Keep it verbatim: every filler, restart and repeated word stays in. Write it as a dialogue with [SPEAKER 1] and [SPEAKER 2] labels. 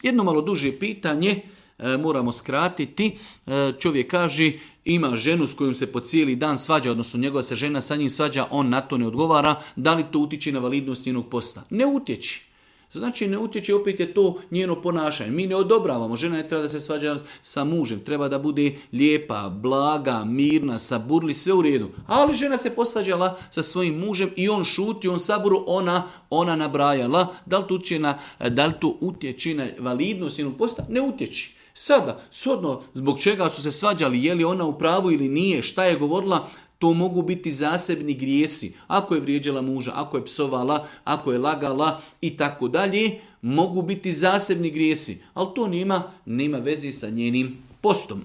[SPEAKER 1] Jedno malo duže pitanje, e, moramo skratiti. E, čovjek kaže, ima ženu s kojom se po cijeli dan svađa, odnosno njegova se žena sa njim svađa, on na to ne odgovara, da li to utječe na validnost njenog posta? Ne utječi. Znači ne utječe, opet je to njeno ponašanje. Mi ne odobravamo, žena ne treba da se svađa sa mužem, treba da bude lijepa, blaga, mirna, saburli, sve u redu. Ali žena se posvađala sa svojim mužem i on šuti, on saburu, ona, ona nabrajala. Da li to utječe na, da li to utječe na validnost njenog posta? Ne utječi. Sada, shodno zbog čega su se svađali, je li ona u pravu ili nije, šta je govorila, to mogu biti zasebni grijesi. Ako je vrijeđala muža, ako je psovala, ako je lagala i tako dalje, mogu biti zasebni grijesi. Ali to nema, nema veze sa njenim postom.